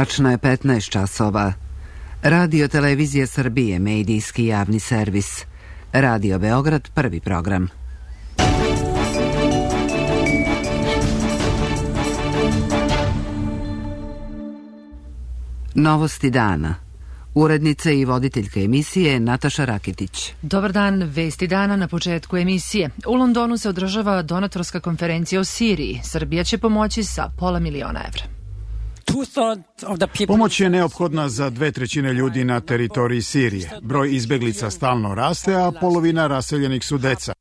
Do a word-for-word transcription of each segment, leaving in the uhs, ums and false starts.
Tačno je petnaest časova. Radio Televizija Srbije, medijski javni servis. Radio Beograd, prvi program. Novosti dana. Urednica i voditeljka emisije Nataša Rakitić. Dobar dan, vesti dana na početku emisije. U Londonu se održava donatorska konferencija o Siriji. Srbija će pomoći sa pola miliona evra. Pomoć je neophodna za dve trećine ljudi na teritoriji Sirije. Broj izbeglica stalno raste, a polovina raseljenih su deca.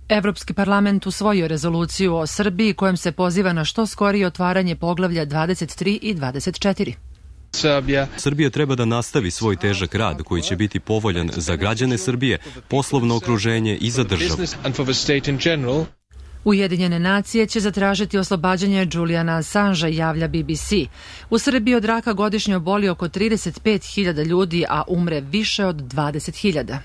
Evropski parlament usvojio rezoluciju o Srbiji kojom se poziva na što skorije otvaranje poglavlja dvadeset tri i dvadeset četiri. Srbija treba da nastavi svoj težak rad koji će biti povoljan za građane Srbije, poslovno okruženje i za državu. Ujedinjene nacije će zatražiti oslobađanje Juliana Assangea, javlja B B C. U Srbiji od raka godišnje oboli oko trideset pet hiljada ljudi, a umre više od dvadeset hiljada.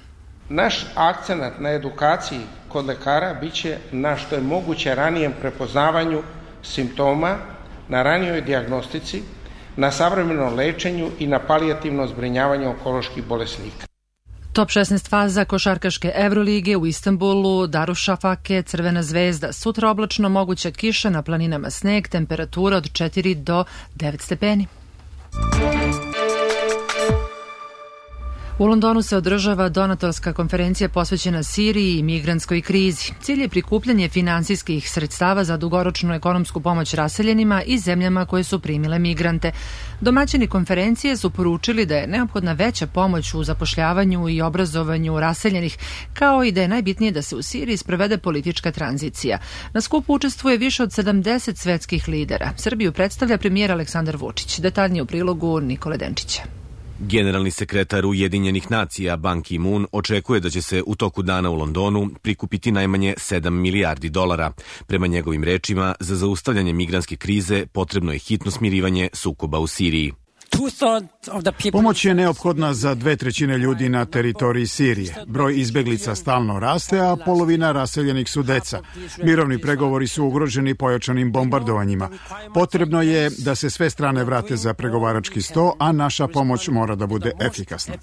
Naš akcenat na edukaciji kod lekara biće na što je moguće ranijem prepoznavanju simptoma, na ranijoj dijagnostici, na savremenom lečenju i na palijativno zbrinjavanje onkoloških bolesnika. Top šesnaest faza košarkaške Evrolige u Istanbulu, Darušafake, Crvena zvezda. Sutra oblačno, moguća kiša, na planinama sneg, temperatura od četiri do devet stepeni. U Londonu se održava donatorska konferencija posvećena Siriji i migrantskoj krizi. Cilj je prikupljanje finansijskih sredstava za dugoročnu ekonomsku pomoć raseljenima i zemljama koje su primile migrante. Domaćini konferencije su poručili da je neophodna veća pomoć u zapošljavanju i obrazovanju raseljenih, kao i da je najbitnije da se u Siriji sprovede politička tranzicija. Na skupu učestvuje više od sedamdeset svetskih lidera. Srbiju predstavlja premijer Aleksandar Vučić. Detaljnije u prilogu Nikole Denčića. Generalni sekretar Ujedinjenih nacija Ban Ki-moon očekuje da će se u toku dana u Londonu prikupiti najmanje sedam milijardi dolara. Prema njegovim rečima, za zaustavljanje migrantske krize potrebno je hitno smirivanje sukoba u Siriji. Pomoć je neophodna za dve trećine ljudi na teritoriji Sirije. Broj izbeglica stalno raste, a polovina raseljenih su deca. Mirovni pregovori su ugroženi pojačanim bombardovanjima. Potrebno je da se sve strane vrate za pregovarački sto, a naša pomoć mora da bude efikasna.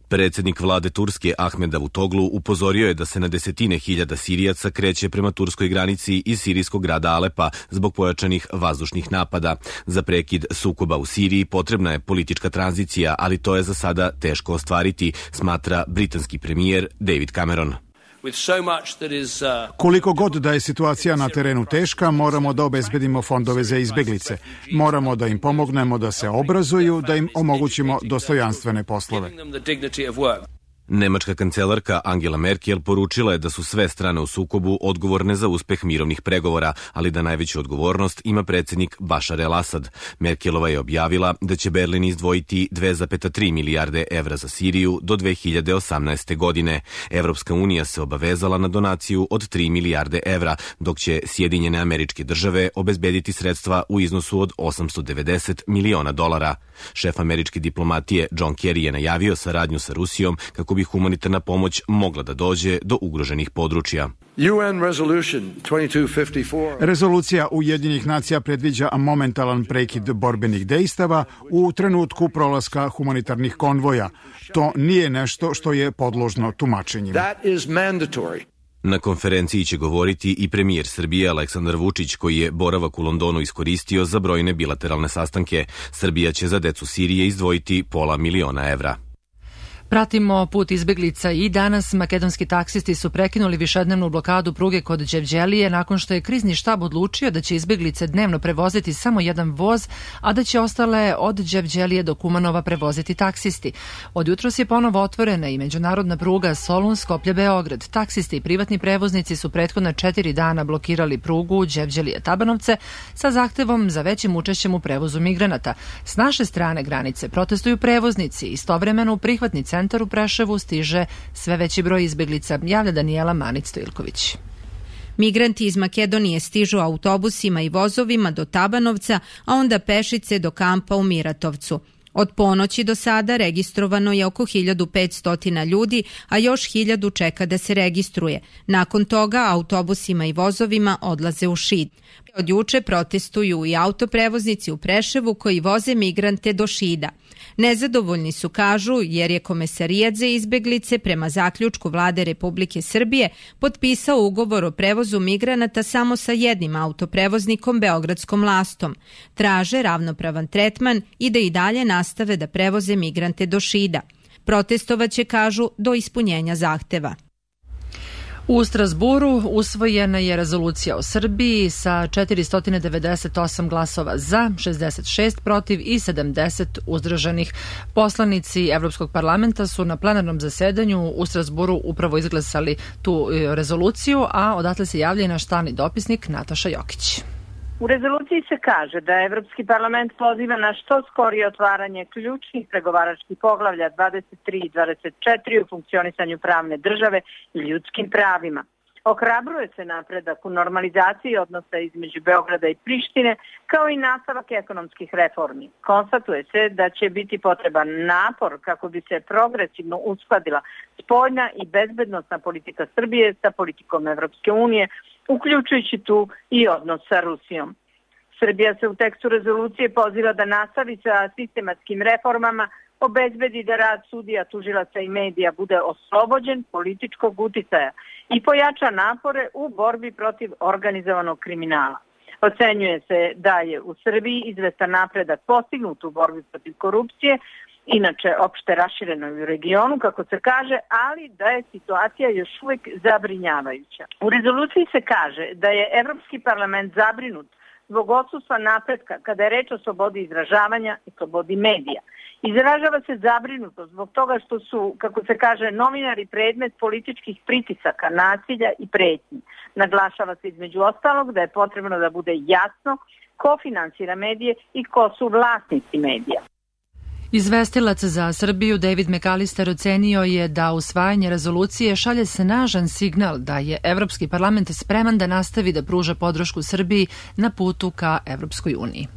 Predsjednik vlade Turske Ahmed Davutoglu upozorio je da se na desetine hiljada Sirijaca kreće prema turskoj granici iz sirijskog grada Alepa zbog pojačanih vazdušnih napada. Za prekid sukoba u Siriji potrebna je politička tranzicija, ali to je za sada teško ostvariti, smatra britanski premijer David Cameron. Koliko god da je situacija na terenu teška, moramo da obezbedimo fondove za izbeglice. Moramo da im pomognemo da se obrazuju, da im omogućimo dostojanstvene poslove. Nemačka kancelarka Angela Merkel poručila je da su sve strane u sukobu odgovorne za uspeh mirovnih pregovora, ali da najveću odgovornost ima predsjednik Bašar el-Asad. Merkelova je objavila da će Berlin izdvojiti dve zarez tri milijarde evra za Siriju do dve hiljade osamnaeste. godine. Evropska unija se obavezala na donaciju od tri milijarde evra, dok će Sjedinjene Američke Države obezbediti sredstva u iznosu od osamsto devedeset miliona dolara. Šef američke diplomatije John Kerry je najavio saradnju sa Rusijom kako bi humanitarna pomoć mogla da dođe do ugroženih područja. Rezolucija Ujedinjenih nacija predviđa momentalan prekid borbenih dejstava u trenutku prolaska humanitarnih konvoja. To nije nešto što je podložno tumačenjima. Na konferenciji će govoriti i premijer Srbije Aleksandar Vučić, koji je boravak u Londonu iskoristio za brojne bilateralne sastanke. Srbija će za decu Sirije izdvojiti pola miliona evra. Pratimo put izbeglica i danas makedonski taksisti su prekinuli višednevnu blokadu pruge kod Đevđelije nakon što je krizni štab odlučio da će izbeglice dnevno prevoziti samo jedan voz, a da će ostale od Đevđelije do Kumanova prevoziti taksisti. Od jutros je ponovo otvorena i međunarodna pruga Solun-Skoplje-Beograd. Taksisti i privatni prevoznici su prethodna četiri dana blokirali prugu Đevđelije-Tabanovce sa zahtevom za većim učešćem u prevozu migranata. S naše strane granice protestuju prevoznici, istovremeno u prihvatni centar u Preševu stiže sve veći broj izbeglica, javlja Danijela Manić-Stojilković. Migranti iz Makedonije stižu autobusima i vozovima do Tabanovca, a onda pešice do kampa u Miratovcu. Od ponoći do sada registrovano je oko hiljadu petsto ljudi, a još hiljadu čeka da se registruje. Nakon toga autobusima i vozovima odlaze u Šid. Od juče protestuju i autoprevoznici u Preševu koji voze migrante do Šida. Nezadovoljni su, kažu, jer je Komesarijat za izbeglice prema zaključku Vlade Republike Srbije potpisao ugovor o prevozu migranata samo sa jednim autoprevoznikom Beogradskom Lastom. Traže ravnopravan tretman i da i dalje nastave da prevoze migrante do Šida. Protestovaće, kažu, do ispunjenja zahteva. U Strasburu usvojena je rezolucija o Srbiji sa četiristo devedeset osam glasova za, šezdeset šest protiv i sedamdeset uzdržanih. Poslanici Evropskog parlamenta su na plenarnom zasedanju u Strasburu upravo izglasali tu rezoluciju, a odatle se javlja i naš stalni dopisnik Nataša Jokić. U rezoluciji se kaže da Evropski parlament poziva na što skorije otvaranje ključnih pregovaračkih poglavlja dvadeset tri i dvadeset četiri u funkcionisanju pravne države i ljudskim pravima. Ohrabruje se napredak u normalizaciji odnosa između Beograda i Prištine, kao i nastavak ekonomskih reformi. Konstatuje se da će biti potreban napor kako bi se progresivno uskladila spoljna i bezbednosna politika Srbije sa politikom Evropske unije, uključujući tu i odnos sa Rusijom. Srbija se u tekstu rezolucije poziva da nastavi sa sistematskim reformama, obezbedi da rad sudija, tužilaca i medija bude oslobođen političkog uticaja i pojača napore u borbi protiv organizovanog kriminala. Ocenjuje se da je u Srbiji izvestan napredak postignut u borbi protiv korupcije, inače opšte raširenoj u regionu, kako se kaže, ali da je situacija još uvijek zabrinjavajuća. U rezoluciji se kaže da je Evropski parlament zabrinut zbog odsustva napretka kada je reč o slobodi izražavanja i slobodi medija. Izražava se zabrinutost zbog toga što su, kako se kaže, novinari predmet političkih pritisaka, nasilja i pretnji. Naglašava se između ostalog da je potrebno da bude jasno ko finansira medije i ko su vlasnici medija. Izvestilac za Srbiju David McAllister ocenio je da usvajanje rezolucije šalje snažan signal da je Evropski parlament spreman da nastavi da pruža podršku Srbiji na putu ka Evropskoj uniji.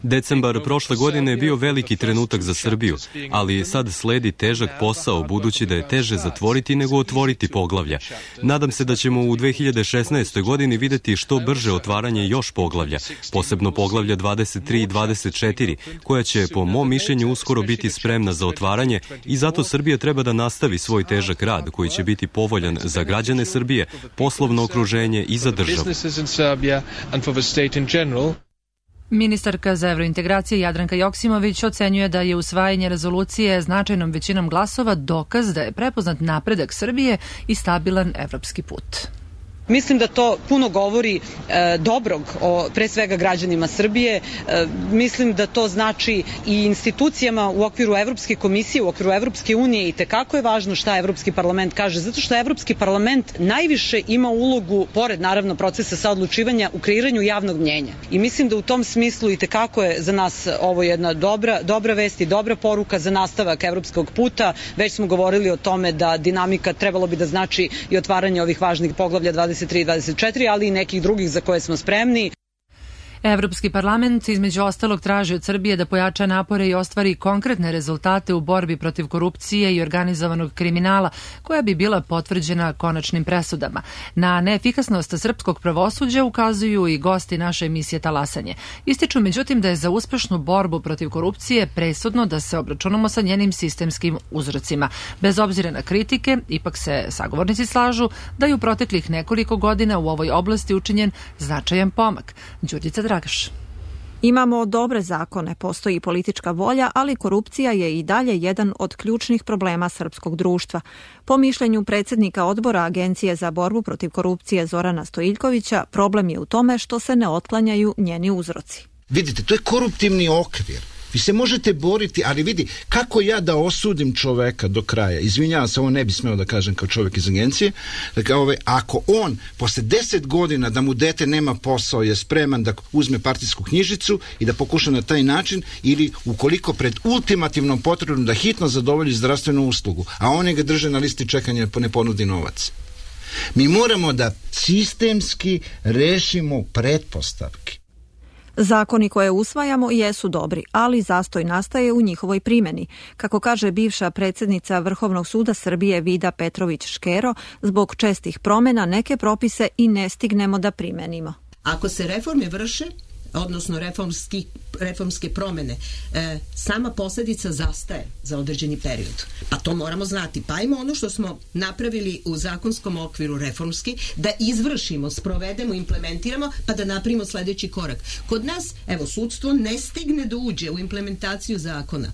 Decembar prošle godine je bio veliki trenutak za Srbiju, ali sad sledi težak posao budući da je teže zatvoriti nego otvoriti poglavlja. Nadam se da ćemo u dve hiljade šesnaestoj. godini videti što brže otvaranje još poglavlja, posebno poglavlja dvadeset tri i dvadeset četiri, koja će po mom mišljenju uskoro biti spremna za otvaranje i zato Srbija treba da nastavi svoj težak rad koji će biti povoljan za građane Srbije, poslovno okruženje i za državu. Ministarka za evrointegracije Jadranka Joksimović ocenjuje da je usvajanje rezolucije značajnom većinom glasova dokaz da je prepoznat napredak Srbije i stabilan evropski put. Mislim da to puno govori e, dobrog o pre svega građanima Srbije. E, mislim da to znači i institucijama u okviru Evropske komisije, u okviru Evropske unije i tekako je važno šta Evropski parlament kaže, zato što Evropski parlament najviše ima ulogu, pored naravno procesa saodlučivanja, u kreiranju javnog mnjenja. I mislim da u tom smislu i tekako je za nas ovo jedna dobra, dobra vest i dobra poruka za nastavak evropskog puta. Već smo govorili o tome da dinamika trebalo bi da znači i otvaranje ovih važnih poglavlja dvadeset tri i dvadeset četiri, ali i nekih drugih za koje smo spremni. Evropski parlament između ostalog traži od Srbije da pojača napore i ostvari konkretne rezultate u borbi protiv korupcije i organizovanog kriminala, koja bi bila potvrđena konačnim presudama. Na neefikasnost srpskog pravosuđa ukazuju i gosti naše emisije Talasanje. Ističu međutim da je za uspešnu borbu protiv korupcije presudno da se obračunamo sa njenim sistemskim uzrocima. Bez obzira na kritike, ipak se sagovornici slažu da je u proteklih nekoliko godina u ovoj oblasti učinjen značajan pomak. Đurđica Dragaš. Imamo dobre zakone, postoji politička volja, ali korupcija je i dalje jedan od ključnih problema srpskog društva. Po mišljenju predsjednika odbora Agencije za borbu protiv korupcije Zorana Stojiljkovića, problem je u tome što se ne otklanjaju njeni uzroci. Vidite, to je koruptivni okvir. Vi se možete boriti, ali vidi, kako ja da osudim čoveka do kraja? Izvinjavam se, ovo ne bi smeo da kažem kao čovjek iz agencije. Dakle, ove, ako on posle deset godina da mu dete nema posao je spreman da uzme partijsku knjižicu i da pokuša na taj način, ili ukoliko pred ultimativnom potrebom da hitno zadovolji zdravstvenu uslugu, a oni ga drže na listi čekanja pa ne ponudi novac. Mi moramo da sistemski rešimo pretpostavke. Zakoni koje usvajamo jesu dobri, ali zastoj nastaje u njihovoj primjeni. Kako kaže bivša predsjednica Vrhovnog suda Srbije Vida Petrović-Škero, zbog čestih promjena neke propise i ne stignemo da primenimo. Ako se reforme vrše, odnosno reformski, reformske promjene, e, sama posljedica zastaje za određeni period. Pa to moramo znati. Pa ajmo ono što smo napravili u zakonskom okviru reformski, da izvršimo, sprovedemo, implementiramo, pa da napravimo sljedeći korak. Kod nas, evo, sudstvo ne stigne da uđe u implementaciju zakona.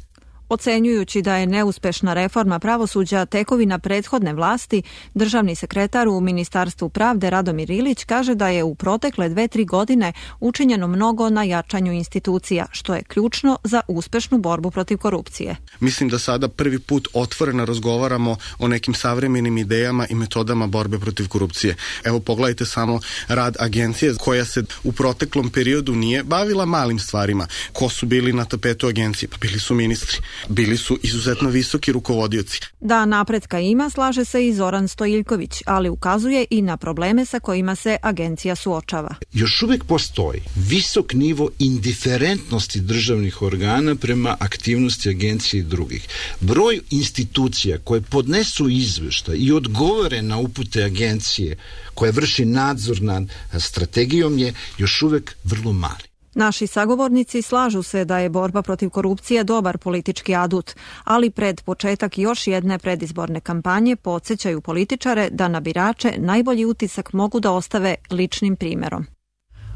Ocenjujući da je neuspešna reforma pravosuđa tekovina prethodne vlasti, državni sekretar u Ministarstvu pravde Radomir Ilić kaže da je u protekle dve, tri godine učinjeno mnogo na jačanju institucija, što je ključno za uspešnu borbu protiv korupcije. Mislim da sada prvi put otvoreno razgovaramo o nekim savremenim idejama i metodama borbe protiv korupcije. Evo, pogledajte samo rad agencije koja se u proteklom periodu nije bavila malim stvarima. Ko su bili na tapetu agencije? Pa bili su ministri. Bili su izuzetno visoki rukovodioci. Da napretka ima, slaže se i Zoran Stojiljković, ali ukazuje i na probleme sa kojima se agencija suočava. Još uvijek postoji visok nivo indiferentnosti državnih organa prema aktivnosti agencije i drugih. Broj institucija koje podnesu izveštaj i odgovore na upute agencije koje vrši nadzor nad strategijom je još uvijek vrlo mali. Naši sagovornici slažu se da je borba protiv korupcije dobar politički adut, ali pred početak još jedne predizborne kampanje podsjećaju političare da na birače najbolji utisak mogu da ostave ličnim primjerom.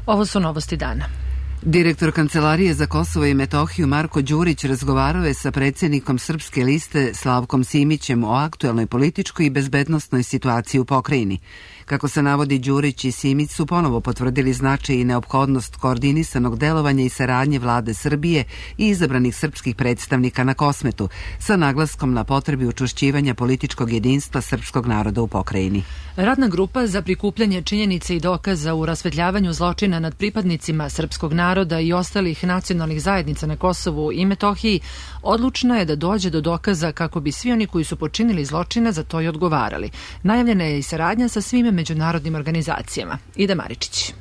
Ovo su novosti dana. Direktor Kancelarije za Kosovo i Metohiju Marko Đurić razgovarao je sa predsjednikom Srpske liste Slavkom Simićem o aktuelnoj političkoj i bezbednosnoj situaciji u pokrajini. Kako se navodi, Đurić i Simić su ponovo potvrdili značaj i neophodnost koordinisanog delovanja i saradnje vlade Srbije i izabranih srpskih predstavnika na Kosmetu, sa naglaskom na potrebi učvršćivanja političkog jedinstva srpskog naroda u pokrajini. Radna grupa za prikupljanje činjenica i dokaza u rasvetljavanju zločina nad pripadnicima srpskog naroda i ostalih nacionalnih zajednica na Kosovu i Metohiji odlučna je da dođe do dokaza kako bi svi oni koji su počinili zločine za to i odgovarali. Najavljena je i saradnja sa svim međunarodnim organizacijama. Ida Maričić.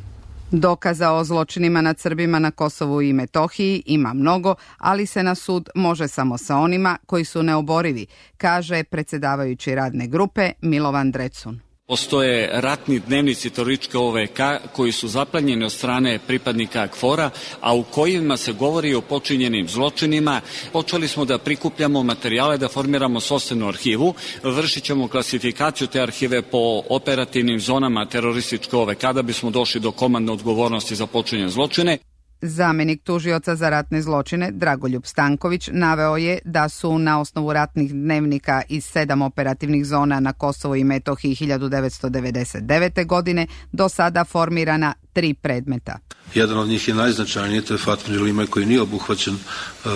Dokaza o zločinima nad Srbima na Kosovu i Metohiji ima mnogo, ali se na sud može samo sa onima koji su neoborivi, kaže predsjedavajući radne grupe Milovan Drecun. Postoje ratni dnevnici terorističke O V K koji su zaplenjeni od strane pripadnika KFOR-a, a u kojima se govori o počinjenim zločinima. Počeli smo da prikupljamo materijale, da formiramo sopstvenu arhivu, vršit ćemo klasifikaciju te arhive po operativnim zonama terorističke O V K da bismo došli do komandne odgovornosti za počinjene zločine. Zamenik tužioca za ratne zločine Dragoljub Stanković naveo je da su na osnovu ratnih dnevnika iz sedam operativnih zona na Kosovo i Metohiji hiljadu devetsto devedeset devete. godine do sada formirana tri predmeta. Jedan od njih je najznačajniji, to je Fatmir Limaj koji nije obuhvaćen uh,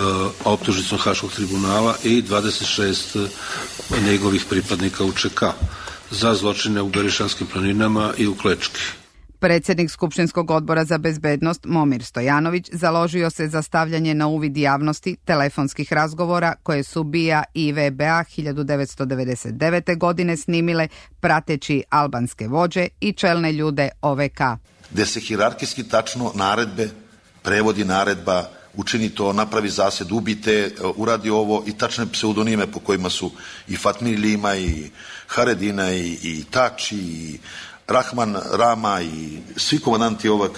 optužnicom Haškog tribunala i dvadeset šest njegovih pripadnika U Č K za zločine u Berišanskim planinama i u Klečki. Predsjednik Skupštinskog odbora za bezbednost Momir Stojanović založio se za stavljanje na uvid javnosti telefonskih razgovora koje su B I A i V B A hiljadu devetsto devedeset devete. godine snimile prateći albanske vođe i čelne ljude O V K. Gde se hijerarhijski tačno naredbe, prevodi naredba, učini to, napravi zased, ubite, uradi ovo i tačne pseudonime po kojima su i Fatmir Lima i Haredina i, i Tači i Rahman, Rama i svi komandanti O V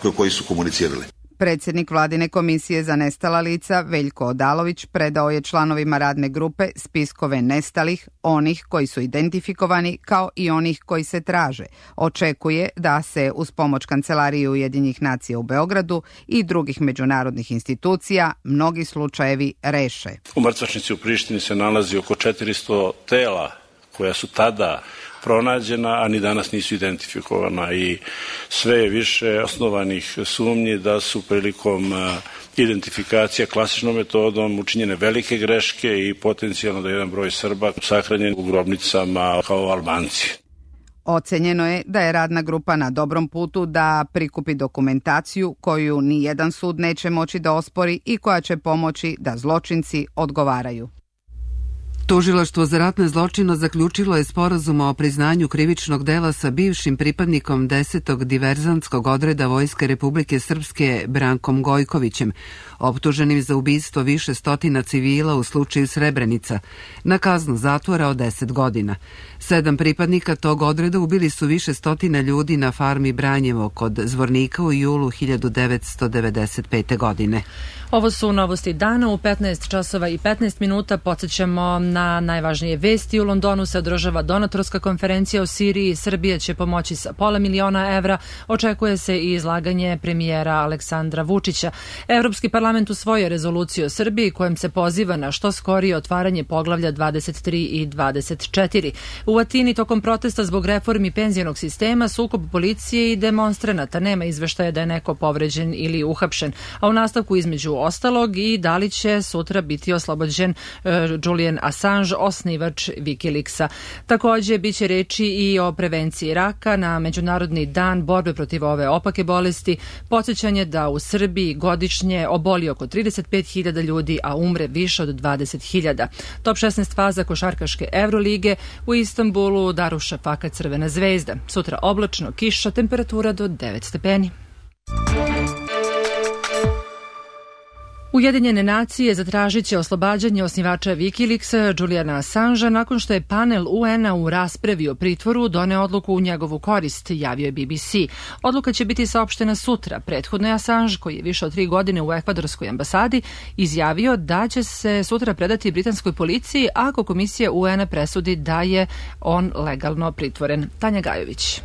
K koji su komunicirali. Predsjednik Vladine komisije za nestala lica Veljko Odalović predao je članovima radne grupe spiskove nestalih, onih koji su identifikovani kao i onih koji se traže. Očekuje da se uz pomoć Kancelarije Ujedinjenih nacija u Beogradu i drugih međunarodnih institucija mnogi slučajevi reše. U mrtvačnici u Prištini se nalazi oko četiristo tela koja su tada pronađena, a ni danas nisu identifikovana i sve je više osnovanih sumnji da su prilikom identifikacije klasičnom metodom učinjene velike greške i potencijalno da je jedan broj Srba sahranjen u grobnicama kao Albanci. Ocenjeno je da je radna grupa na dobrom putu da prikupi dokumentaciju koju ni jedan sud neće moći da ospori i koja će pomoći da zločinci odgovaraju. Tužilaštvo za ratne zločine zaključilo je sporazum o priznanju krivičnog dela sa bivšim pripadnikom desetog diverzantskog odreda Vojske Republike Srpske Brankom Gojkovićem, optuženim za ubistvo više stotina civila u slučaju Srebrenica, na kaznu zatvora od deset godina. Sedam pripadnika tog odreda ubili su više stotina ljudi na farmi Branjevo kod Zvornika u julu hiljadu devetsto devedeset pete. godine. Ovo su novosti dana u petnaest časova i petnaest minuta. Podsjećamo na najvažnije vesti. U Londonu se održava donatorska konferencija o Siriji. Srbija će pomoći sa pola miliona evra. Očekuje se i izlaganje premijera Aleksandra Vučića. Evropski parlament usvojio rezoluciju o Srbiji kojom se poziva na što skorije otvaranje poglavlja dvadeset tri i dvadeset četiri. U Atini tokom protesta zbog reformi penzionog sistema, sukob policije i demonstranata. Nema izveštaja da je neko povređen ili uhapšen. A u nastavku između ostalog i da li će sutra biti oslobođen uh, Julian Assange, osnivač Wikileaksa. Također biće reči i o prevenciji raka na Međunarodni dan borbe protiv ove opake bolesti. Podsjećanje da u Srbiji godišnje oboli oko trideset pet hiljada ljudi, a umre više od dvadeset hiljada. Top šesnaest faza košarkaške Evrolige u Istanbulu, Daruša Faka Crvena zvezda. Sutra oblačno, kiša, temperatura do devet stepeni. Ujedinjene nacije zatražit će oslobađanje osnivača Wikileaksa Juliana Assangea nakon što je panel U N-a u raspravi o pritvoru doneo odluku u njegovu korist, javio je B B C. Odluka će biti saopštena sutra. Prethodno je Assange, koji je više od tri godine u ekvadorskoj ambasadi, izjavio da će se sutra predati britanskoj policiji ako komisija U N-a presudi da je on legalno pritvoren. Tanja Gajović.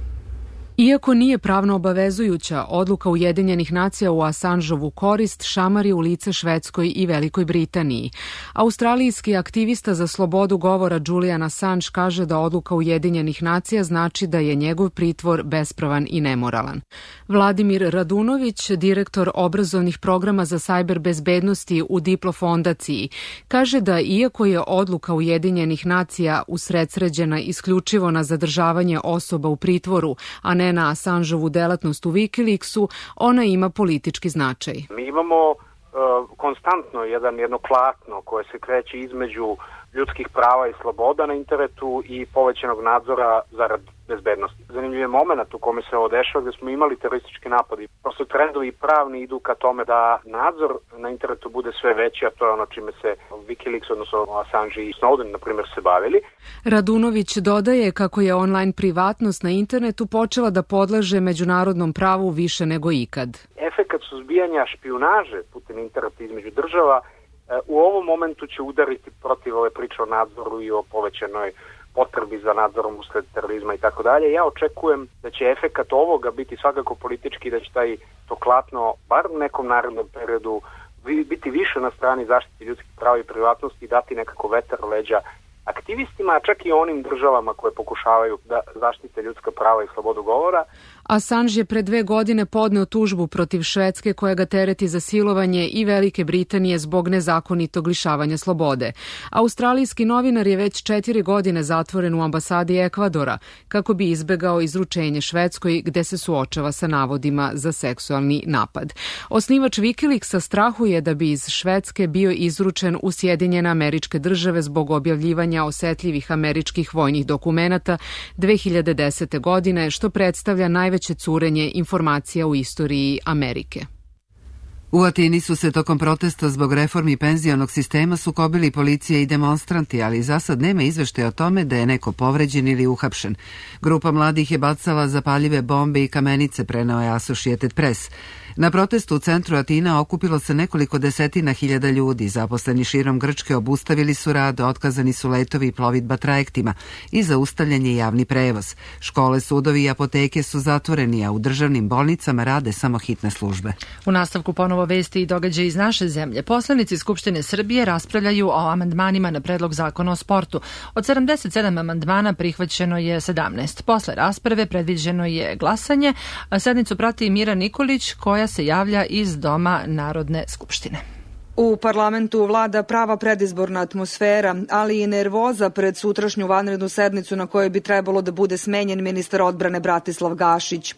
Iako nije pravno obavezujuća, odluka Ujedinjenih nacija u Assangeovu korist šamari u lice Švedskoj i Velikoj Britaniji. Australijski aktivista za slobodu govora Julian Assange kaže da odluka Ujedinjenih nacija znači da je njegov pritvor bespravan i nemoralan. Vladimir Radunović, direktor obrazovnih programa za sajber bezbednosti u Diplo fondaciji, kaže da iako je odluka Ujedinjenih nacija usredsređena isključivo na zadržavanje osoba u pritvoru, a ne na Assangeovu delatnost u Wikileaksu, ona ima politički značaj. Mi imamo uh, konstantno jedan, jedno klatno koje se kreće između ljudskih prava i sloboda na internetu i povećanog nadzora zarad bezbednosti. Zanimljiv je moment u kome se ovo dešava gdje smo imali teroristički napadi. Prosto trendovi pravni idu ka tome da nadzor na internetu bude sve veći, a to je ono čime se Wikileaks, odnosno Assange i Snowden, na primjer, se bavili. Radunović dodaje kako je online privatnost na internetu počela da podleže međunarodnom pravu više nego ikad. Efekat suzbijanja špijunaže putem interneta između država u ovom momentu će udariti protiv ove priče o nadzoru i o povećanoj potrebi za nadzorom usled terorizma i tako dalje. Ja očekujem da će efekat ovoga biti svakako politički, da će taj to klatno, bar u nekom narednom periodu, biti više na strani zaštite ljudskih prava i privatnosti i dati nekako vetar leđa aktivistima, a čak i onim državama koje pokušavaju da zaštite ljudska prava i slobodu govora. Assange je pre dve godine podneo tužbu protiv Švedske koja ga tereti za silovanje i Velike Britanije zbog nezakonitog lišavanja slobode. Australijski novinar je već četiri godine zatvoren u ambasadi Ekvadora kako bi izbegao izručenje Švedskoj gde se suočava sa navodima za seksualni napad. Osnivač Wikileaksa strahuje da bi iz Švedske bio izručen u Sjedinjene Američke Države zbog objavljivanja osetljivih američkih vojnih dokumenata dve hiljade desete. godine, što predstavlja najveće curenje informacija u istoriji Amerike. U Atini su se tokom protesta zbog reformi penzionog sistema sukobili policija i demonstranti, ali za sad nema izveštaja o tome da je neko povređen ili uhapšen. Grupa mladih je bacala zapaljive bombe i kamenice, preneo je Associated Press. Na protestu u centru Atina okupilo se nekoliko desetina hiljada ljudi. Zaposleni širom Grčke obustavili su rad, otkazani su letovi i plovidba trajektima i zaustavljen je javni prevoz. Škole, sudovi i apoteke su zatvoreni, a u državnim bolnicama rade samo hitne službe. U nastavku ponovo vesti i događaje iz naše zemlje. Poslanici Skupštine Srbije raspravljaju o amandmanima na predlog zakona o sportu. Od sedamdeset sedam amandmana prihvaćeno je sedamnaest. Posle rasprave predviđeno je glasanje, a sednicu prati Mira Nikolić koja se javlja iz Doma Narodne skupštine. U parlamentu vlada prava predizborna atmosfera, ali i nervoza pred sutrašnju vanrednu sednicu na kojoj bi trebalo da bude smenjen ministar odbrane Bratislav Gašić.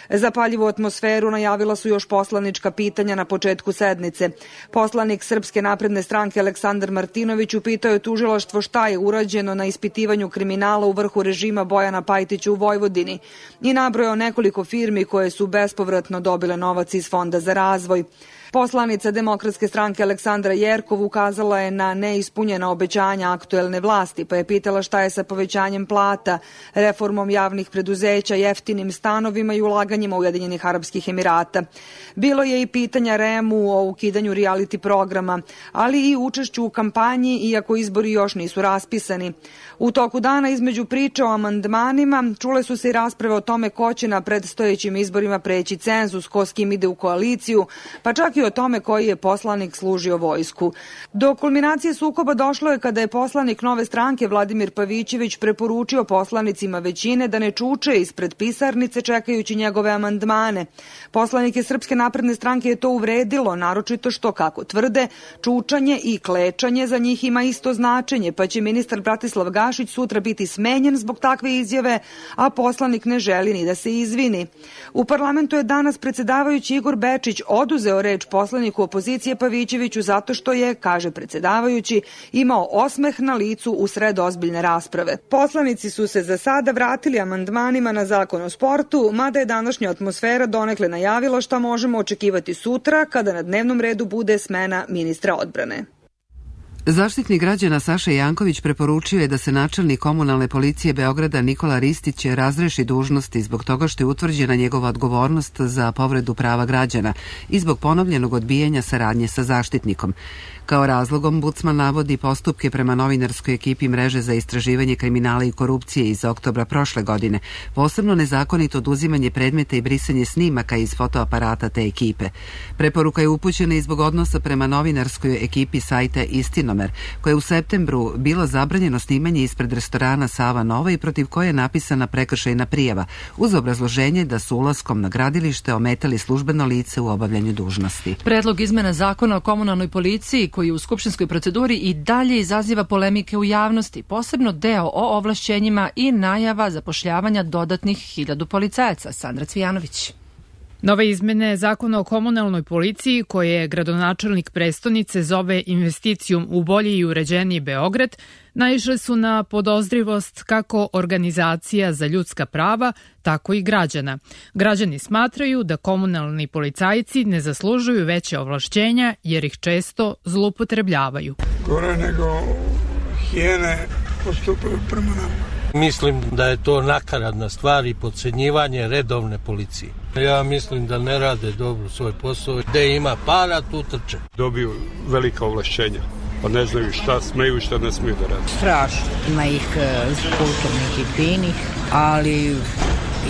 Zapaljivu atmosferu najavila su još poslanička pitanja na početku sednice. Poslanik Srpske napredne stranke Aleksandar Martinović upitao je tužilaštvo šta je urađeno na ispitivanju kriminala u vrhu režima Bojana Pajtića u Vojvodini i nabrojao nekoliko firmi koje su bespovratno dobile novac iz Fonda za razvoj. Poslanica Demokratske stranke Aleksandra Jerkov ukazala je na neispunjena obećanja aktuelne vlasti, pa je pitala šta je sa povećanjem plata, reformom javnih preduzeća, jeftinim stanovima i ulaganjima Ujedinjenih Arapskih Emirata. Bilo je i pitanja R E M-u o ukidanju reality programa, ali i učešću u kampanji, iako izbori još nisu raspisani. U toku dana između priča o amandmanima čule su se i rasprave o tome ko će na predstojećim izborima preći cenzus, ko s kim ide u koaliciju, pa čak i o tome koji je poslanik služio vojsku. Do kulminacije sukoba došlo je kada je poslanik Nove stranke Vladimir Pavićević preporučio poslanicima većine da ne čuče ispred pisarnice čekajući njegove amandmane. Poslanike Srpske napredne stranke je to uvredilo, naročito što, kako tvrde, čučanje i klečanje za njih ima isto značenje, pa će ministar Bratislav Gašić sutra biti smenjen zbog takve izjave, a poslanik ne želi ni da se izvini. U parlamentu je danas predsjedavajući Igor Bečić oduzeo reč poslaniku opozicije Pavićeviću zato što je, kaže predsjedavajući, imao osmeh na licu u sred ozbiljne rasprave. Poslanici su se za sada vratili amandmanima na zakon o sportu, mada je današnja atmosfera donekle najavila šta možemo očekivati sutra kada na dnevnom redu bude smena ministra odbrane. Zaštitnik građana Saša Janković preporučio je da se načelnik komunalne policije Beograda Nikola Ristić razreši dužnosti zbog toga što je utvrđena njegova odgovornost za povredu prava građana i zbog ponovljenog odbijanja saradnje sa zaštitnikom. Kao razlog ombudsman navodi postupke prema novinarskoj ekipi mreže za istraživanje kriminala i korupcije iz oktobra prošle godine, posebno nezakonito oduzimanje predmeta i brisanje snimaka iz fotoaparata te ekipe. Preporuka je upućena i zbog odnosa prema novinarskoj ekipi sajta Istinomer, koje je u septembru bilo zabranjeno snimanje ispred restorana Sava Nova i protiv koje je napisana prekršajna prijava, uz obrazloženje da su ulaskom na gradilište ometali službeno lice u obavljanju dužnosti. Predlog izmena zakona o komunalnoj policiji koji u skupštinskoj proceduri i dalje izaziva polemike u javnosti, posebno deo o ovlašćenjima i najava zapošljavanja dodatnih hiljadu policajaca. Sandra Cvijanović. Nove izmene zakona o komunalnoj policiji, koje je gradonačelnik prestonice zove investicijom u bolji i uređeniji Beograd, naišle su na podozrivost kako organizacija za ljudska prava, tako i građana. Građani smatraju da komunalni policajci ne zaslužuju veće ovlašćenja jer ih često zloupotrebljavaju. Gore nego hijene postupaju prema nama. Mislim da je to nakaradna stvar i podcenjivanje redovne policije. Ja mislim da ne rade dobro svoj posao. Gde ima para, tu trče. Dobiju velika ovlašćenja, pa ne znaju šta smeju i šta ne smeju da rade. Strašno. Ima ih kulturnih i finih, ali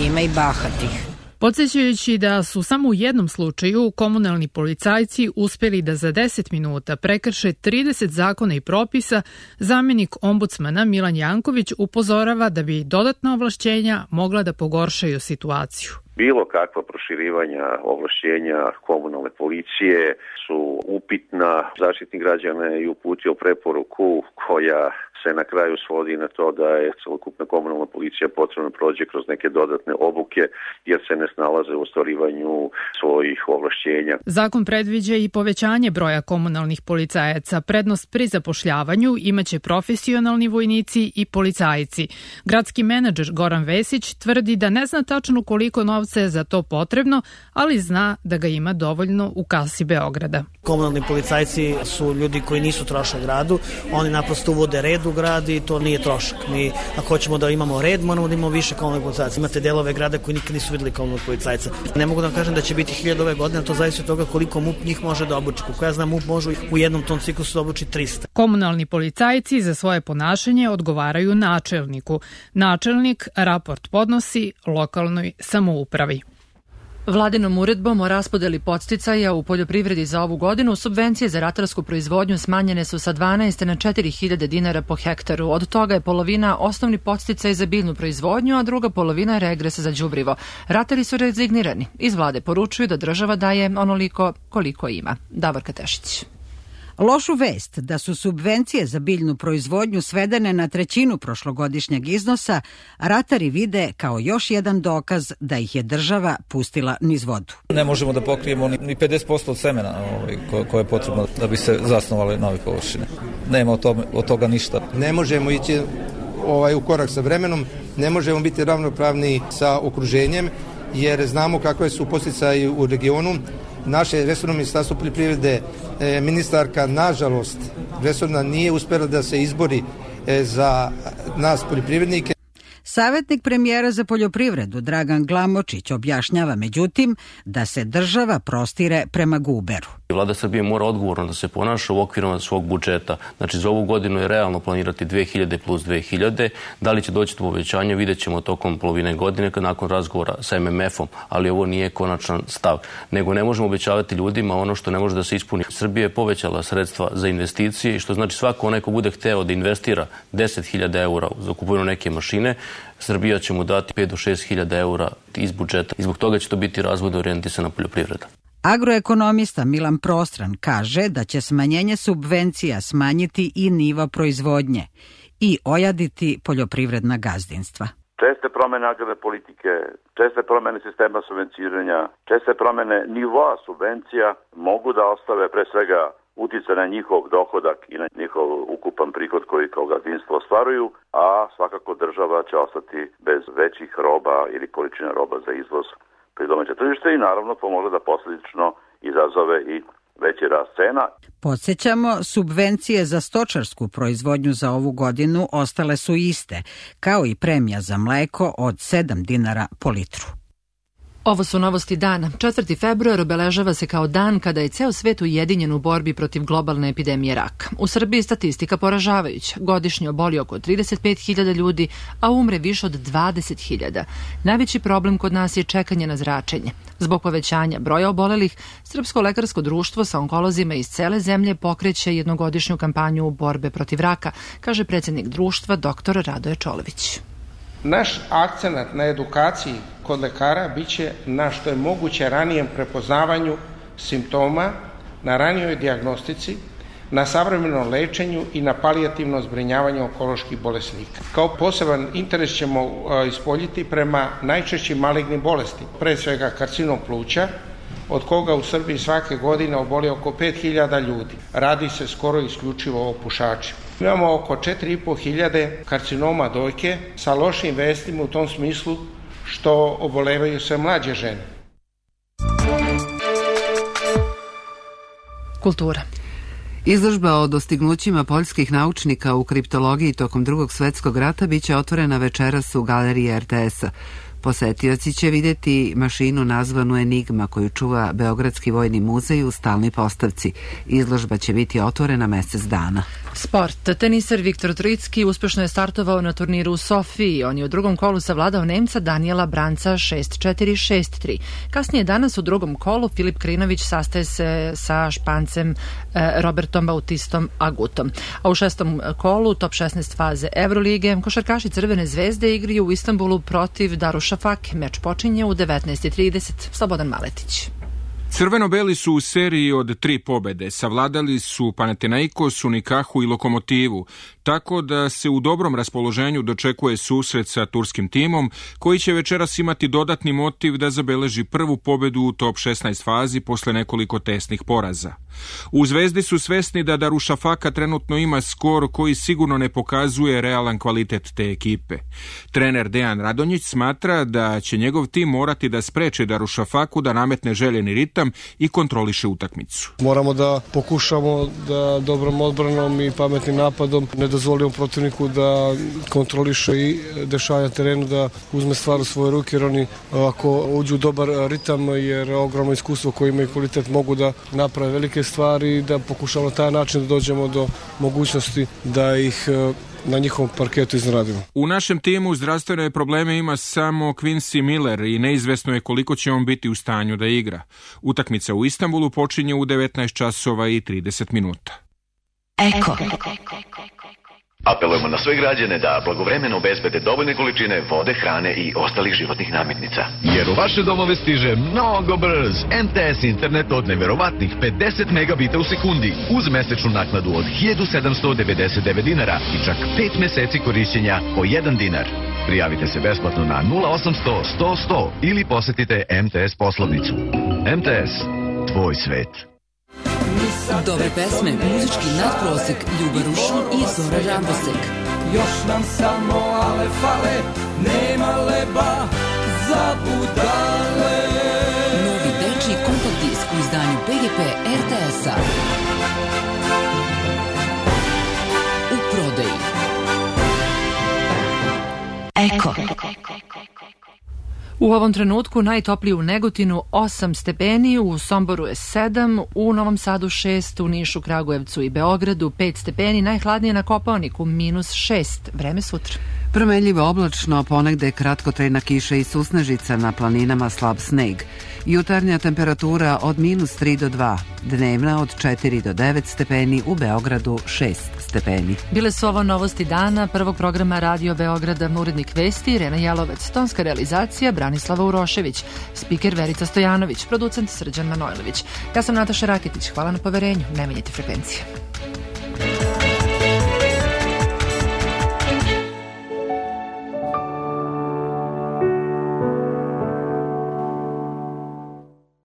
ima i bahatih. Podsjećajući da su samo u jednom slučaju komunalni policajci uspjeli da za deset minuta prekrše trideset zakona i propisa, zamjenik ombudsmana Milan Janković upozorava da bi dodatna ovlašćenja mogla da pogoršaju situaciju. Bilo kakva proširivanja ovlašćenja komunalne policije su upitna. Zaštitnik građana je uputio preporuku koja se na kraju svodi na to da je celokupna komunalna policija potrebno prođe kroz neke dodatne obuke jer se ne snalaze u ostvarivanju svojih ovlašćenja. Zakon predviđa i povećanje broja komunalnih policajaca. Prednost pri zapošljavanju imaće profesionalni vojnici i policajci. Gradski menadžer Goran Vesić tvrdi da ne zna tačno koliko novca je za to potrebno, ali zna da ga ima dovoljno u kasi Beograda. Komunalni policajci su ljudi koji nisu trošak gradu, oni naprosto uvode red u grad i to nije trošak. Mi, ako hoćemo da imamo red, moramo da imamo više komunalnih policajaca. Imate delove grada koji nikad nisu videli komunalnih policajca. Ne mogu da vam kažem da će biti hiljadu ove godine, to zavisi od toga koliko M U P njih može da obuči. Koliko ja znam, M U P može u jednom tom ciklusu da obuči trista. Komunalni policajci za svoje ponašanje odgovaraju načelniku. Načelnik raport podnosi lokalnoj samoupravi. Vladinom uredbom o raspodeli podsticaja u poljoprivredi za ovu godinu subvencije za ratarsku proizvodnju smanjene su sa dvanaest na četiri hiljade dinara po hektaru. Od toga je polovina osnovni podsticaj za biljnu proizvodnju, a druga polovina regres za đubrivo. Ratari su rezignirani. Iz vlade poručuju da država daje onoliko koliko ima. Davorka Tešić. Lošu vest da su subvencije za biljnu proizvodnju svedene na trećinu prošlogodišnjeg iznosa, ratari vide kao još jedan dokaz da ih je država pustila niz vodu. Ne možemo da pokrijemo ni pedeset posto od semena ovaj, koje, koje je potrebno da bi se zasnovale nove površine. Nema od, tome, od toga ništa. Ne možemo ići ovaj, u korak sa vremenom, ne možemo biti ravnopravni sa okruženjem, jer znamo kakve su podsticaji u regionu. Naše resorno ministarstvo poljoprivrede, e, ministarka, nažalost, resorna nije uspela da se izbori e, za nas poljoprivrednike. Savjetnik premijera za poljoprivredu Dragan Glamočić objašnjava međutim da se država prostire prema guberu. Vlada Srbije mora odgovorno da se ponaša u okvirima svog budžeta. Znači za ovu godinu je realno planirati dve hiljade plus dve hiljade. Da li će doći do povećanja vidjet ćemo tokom polovine godine nakon razgovora sa em em efom, ali ovo nije konačan stav. Nego ne možemo obećavati ljudima ono što ne može da se ispuni. Srbija je povećala sredstva za investicije, što znači svako onaj ko bude hteo da investira deset hiljada eura za kupovinu neke mašine, Srbija će mu dati pet do šest hiljada eura iz budžeta i zbog toga će to biti razvojno orijentisana poljoprivreda. Agroekonomista Milan Prostran kaže da će smanjenje subvencija smanjiti i nivo proizvodnje i ojaditi poljoprivredna gazdinstva. Česte promene agrarne politike, česte promene sistema subvencioniranja, česte promene nivoa subvencija mogu da ostave pre svega utjecaj na njihov dohodak i na njihov ukupan prihod koji kao gazdinstvo ostvaruju, a svakako država će ostati bez većih roba ili količina roba za izvoz pri domaće tržište i naravno to može da posljedično izazove i veći rast cena. Podsjećamo, subvencije za stočarsku proizvodnju za ovu godinu ostale su iste, kao i premija za mleko od sedam dinara po litru. Ovo su novosti dana. četvrti februar obeležava se kao dan kada je ceo svet ujedinjen u borbi protiv globalne epidemije raka. U Srbiji statistika poražavajuća. Godišnje oboli oko trideset pet hiljada ljudi, a umre više od dvadeset hiljada. Najveći problem kod nas je čekanje na zračenje. Zbog povećanja broja obolelih, Srpsko lekarsko društvo sa onkolozima iz cele zemlje pokreće jednogodišnju kampanju borbe protiv raka, kaže predsjednik društva dr Radoje Čolović. Naš akcenat na edukaciji kod lekara biće na što je moguće ranijem prepoznavanju simptoma, na ranijoj dijagnostici, na savremenom lečenju i na palijativnom zbrinjavanju onkoloških bolesnika. Kao poseban interes ćemo ispoljiti prema najčešćim malignim bolesti, pre svega karcinom pluća, od koga u Srbiji svake godine oboli oko pet hiljada ljudi. Radi se skoro isključivo o pušačima. Imamo oko četiri i po hiljade karcinoma dojke sa lošim vestima u tom smislu što obolevaju sve mlađe žene. Kultura. Izložba o dostignućima poljskih naučnika u kriptologiji tokom Drugog svjetskog rata biće otvorena večeras u galeriji er te es-a. Posetioci će vidjeti mašinu nazvanu Enigma koju čuva Beogradski vojni muzej u stalnoj postavci. Izložba će biti otvorena mjesec dana. Sport. Teniser Viktor Trojicki uspješno je startovao na turniru u Sofiji. On je u drugom kolu savladao Nemca Daniela Branca šest četiri šest tri. Kasnije danas u drugom kolu Filip Krinović sastaje se sa Špancem Robertom Bautistom Agutom. A u šestom kolu top šesnaest faze Evrolige košarkaši Crvene zvezde igraju u Istanbulu protiv Darušafak. Meč počinje u devetnaest i trideset. Slobodan Maletić. Crveno-beli su u seriji od tri pobede. Savladali su Panathinaikos, Unikahu i Lokomotivu, tako da se u dobrom raspoloženju dočekuje susret sa turskim timom, koji će večeras imati dodatni motiv da zabeleži prvu pobedu u top šesnaest fazi posle nekoliko tesnih poraza. U Zvezdi su svesni da Darušafaka trenutno ima skor koji sigurno ne pokazuje realan kvalitet te ekipe. Trener Dejan Radonjić smatra da će njegov tim morati da spreče Darušafaku da nametne željeni ritam i kontroliše utakmicu. Moramo da pokušamo da dobrom odbranom i pametnim napadom ne dozvolimo protivniku da kontroliše i dešava na terenu, da uzme stvar u svoje ruke, jer oni ako uđu u dobar ritam, jer ogromno iskustvo koje imaju kvalitet mogu da naprave velike stvari i da pokušamo na taj način da dođemo do mogućnosti da ih na njihovom parketu iznenadimo. U našem timu zdravstvene probleme ima samo Quincy Miller i neizvesno je koliko će on biti u stanju da igra. Utakmica u Istanbulu počinje u devetnaest časova i trideset minuta. Eko. Apelujemo na sve građane da blagovremeno obezbede dovoljne količine vode, hrane i ostalih životnih namirnica. Jer u vaše domove stiže mnogo brz M T S internet od neverovatnih pedeset megabita u sekundi uz mesečnu naknadu od hiljadu sedamsto devedeset devet dinara i čak pet meseci korišćenja po jedan dinar. Prijavite se besplatno na nula osamsto sto sto ili posetite M T S poslovnicu. M T S, tvoj svet. Dobre pesme, muzički nadprosek, Ljuba Rušun i Zora Rambosek. Još nam samo ale fale, nema leba za budale. Novi dečiji kompakt disk u izdanju P G P R T S-a. U prodaji. Eko. U ovom trenutku najtoplije u Negotinu osam stepeni, u Somboru je sedam, u Novom Sadu šest, u Nišu, Kragujevcu i Beogradu pet stepeni, najhladnije na Kopaoniku minus šest. Vreme sutra. Promenljivo oblačno, ponegde kratkotrajna kiša i susnežica, na planinama slab sneg. Jutarnja temperatura od minus tri do dva, dnevna od četiri do devet stepeni, u Beogradu šest stepeni. Bile su ovo novosti dana prvog programa Radio Beograda, urednik vesti Irena Jelovec, tonska realizacija Branislava Urošević, spiker Verica Stojanović, producent Srđan Manojlović. Ja sam Nataša Raketić, hvala na poverenju, ne menjajte frekvencije.